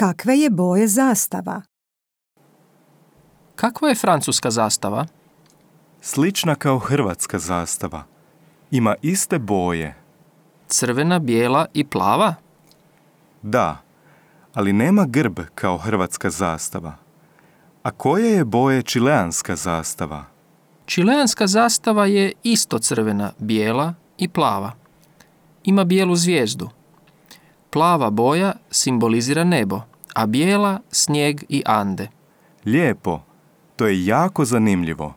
Kakve je boje zastava? Kakva je francuska zastava? Slična kao hrvatska zastava. Ima iste boje. Crvena, bijela i plava? Da, ali nema grb kao hrvatska zastava. A koje je boje čileanska zastava? Čileanska zastava je isto crvena, bijela i plava. Ima bijelu zvijezdu. Plava boja simbolizira nebo, a bijela snijeg i Ande. Lijepo, to je jako zanimljivo.